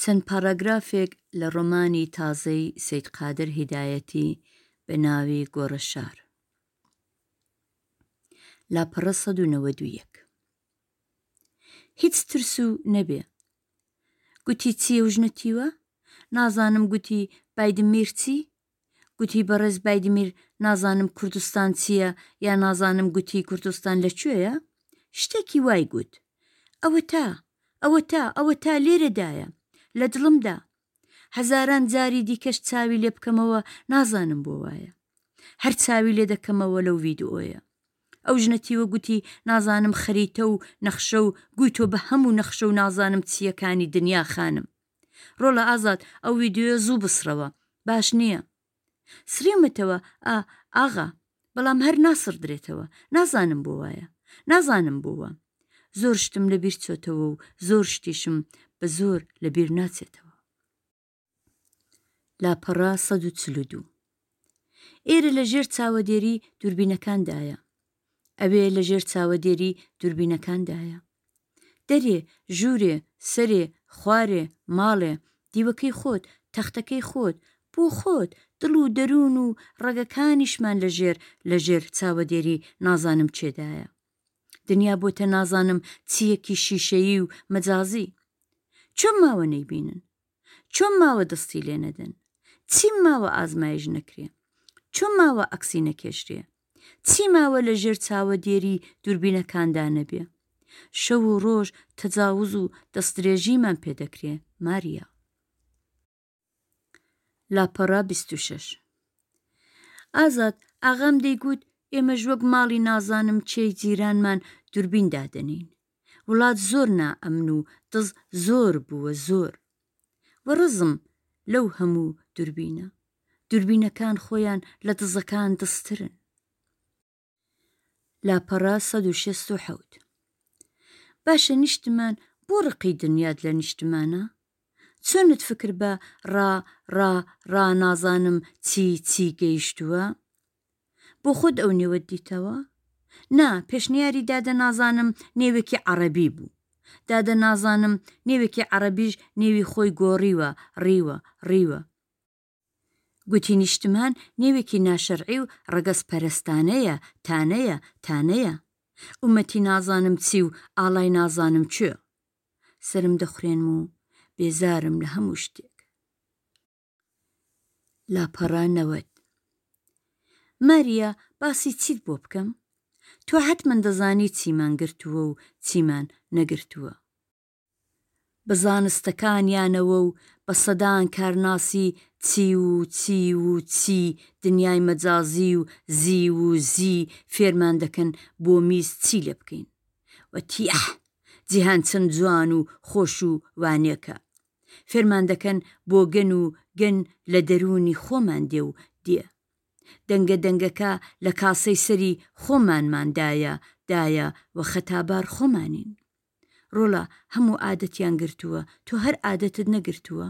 چەند پاراگرافێک لە ڕۆمانی تازەی سەید قادر هیدایەتی بە ناوی گۆڕەشار. لاپەڕە 191. هیچ ترس و نەبێ. گوتی چییە و ژنە تیوە؟ نازانم گوتی بایدمیر چی؟ گوتی بەڕێز بایدمیر نازانم کوردستان چییە یا نازانم گوتی کوردستان لە کوێیە؟ شتێکی وای گوت. ئەوەتا، ئەوەتا، ئەوەتا لێرەدایە. لە دڵمدا. هەزاران جاری دیکەش چاوی لێ بکەمەوە نازانم بۆ وایە. هەر چاوی لێ دەکەمەوە لەو ڤیدئۆیە. ئەو ژنە تیوە گوتی نازانم خەریتە و نەخشە و گوی تۆ بە هەموو نەخشە و نازانم چییەکانی دنیا خانم. ڕۆڵە ئازاد ئەو ویدیۆیە زوو بسڕەوە باش نییە. سڕیومەتەوە ئا ئاغا بەڵام هەر ناسڕدرێتەوە نازانم بۆ وایە نازانم بۆ وام زۆر شتم لە بیر چۆتەوە و زۆر شتیشم بە زۆر لە بیر ناچێتەوە. لاپەڕە 142. ئێرە لە ژێر چاوەدێری دووربینەکاندایە. ئەوێ لە ژێر چاوەدێری دووربینەکاندایە. دەرێ، ژوورێ، سەرێ، خوارێ، ماڵێ، دیوەکەی خۆت، تەختەکەی خۆت، بۆ خۆت، دڵ و دەروون و ڕەگەکانیشمان لە ژێر لە ژێر چاوەدێری نازانم کێدایە. دنیا بۆتە نازانم چییەکی شیشەیی و مەجازی. چۆن ماوە نەیبینن؟ چۆن ماوە دەستی لێ نەدەن؟ چیم ماوە ئازمایش نەکرێ؟ چۆن ماوە عەکسی نەکێشرێ؟ چی ماوە لە ژێر چاوەدێری دووربینەکاندا نەبێ؟ شەو و ڕۆژ تەجاوز و دەستدرێژیمان پێ دەکرێ ماریا. لاپەڕە 26. ئازاد ئاغام دەیگوت ئێمەش وەک ماڵی نازانم کێی جیرانمان دوربین دادەنێین. وڵات زۆر نائەمن و دز زۆر بووە زۆر. وەڕزم لەو هەموو دوربینە. دوربینەکان خۆیان لە دزەکان دزترن. لاپەڕە 167. باشە نیشتمان بۆ ڕقی دنیات لە نیشتمانە؟ چۆنت فکر بە ڕا ڕا ڕا نازانم چی چی گەیشتووە؟ بۆ خۆت ئەو نێوەت دیتەوە؟ نا، پێشنیاری دادە نازانم نێوێکی عەڕەبی بوو. دادە نازانم نێوێکی عەڕەبیش نێوی خۆی گۆڕیوە، ڕیوە، ڕیوە. گوتی نیشتمان نێوێکی ناشەرعی و ڕەگەزپەرستانەیە، تانەیە، تانەیە. ئوممەتی نازانم چی و ئاڵای نازانم کوێ. سەرم دەخورێنم و بێزارم لە هەموو شتێک. لاپەڕە 90. ماریا باسی چیت بۆ بکەم؟ تۆ حەتمەن دەزانی چیمان گرتووە و چیمان نەگرتووە. بە زانستەکانیانەوە و بە سەدان کارناسی چی و چی و چی دنیای مەجازی و زی و زی فێرمان دەکەن بۆ میز چی لێ بکەین و تیح جیهان چەند جوان و خۆش و وانێکە فێرمان دەکەن بۆ گەن و گەن لە دەروونی خۆمان دێ و دێ دەنگە دەنگەکە لە کاسەی سەری خۆمانمان دایە دایە و خەتابار خۆمانین. ڕۆڵە هەموو عادەتیان گرتووە تۆ هەر عادەتت نەگرتووە؟